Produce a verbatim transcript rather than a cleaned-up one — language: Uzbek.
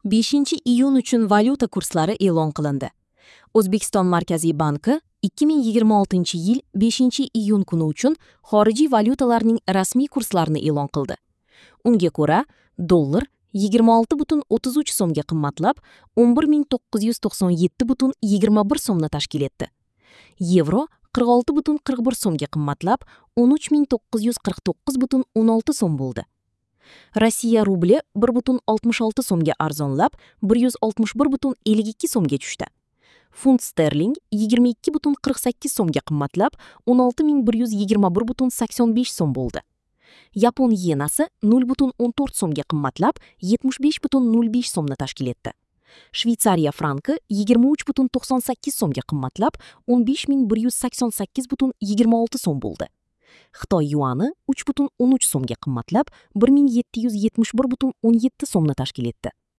beshinchi iyun uchun valyuta kurslari e'lon qilindi. O'zbekiston Markaziy banki ikki ming yigirma oltinchi yil beshinchi iyun kuni uchun xorijiy valyutalarning rasmiy kurslarini e'lon qildi. Unga ko'ra, dollar yigirma olti butun o'ttiz uch so'mga qimmatlab, o'n bir ming to'qqiz yuz to'qson yetti butun yigirma bir so'mni tashkil etdi. Yevro qirq olti butun qirq bir so'mga qimmatlab, o'n uch ming to'qqiz yuz qirq to'qqiz butun o'n olti so'm bo'ldi. Rossiya rubli bir butun oltmish olti so'mga arzonlab, bir yuz oltmish bir butun ellik ikki so'mga tushdi. Funt sterling yigirma ikki butun qirq sakkiz so'mga qimmatlab, o'n olti ming bir yuz yigirma bir butun sakson besh so'm bo'ldi. Yapon yenasi nol butun o'n to'rt so'mga qimmatlab, yetmish besh butun nol besh so'mni tashkil etdi. Shveytsariya franki yigirma uch butun to'qson sakkiz so'mga qimmatlab, o'n besh ming bir yuz sakson sakkiz butun yigirma olti so'm bo'ldi. Xitoy yuani uch butun o'n uch so'mga qimmatlab, bir ming yetti yuz yetmish bir butun o'n yetti so'mni tashkil etdi.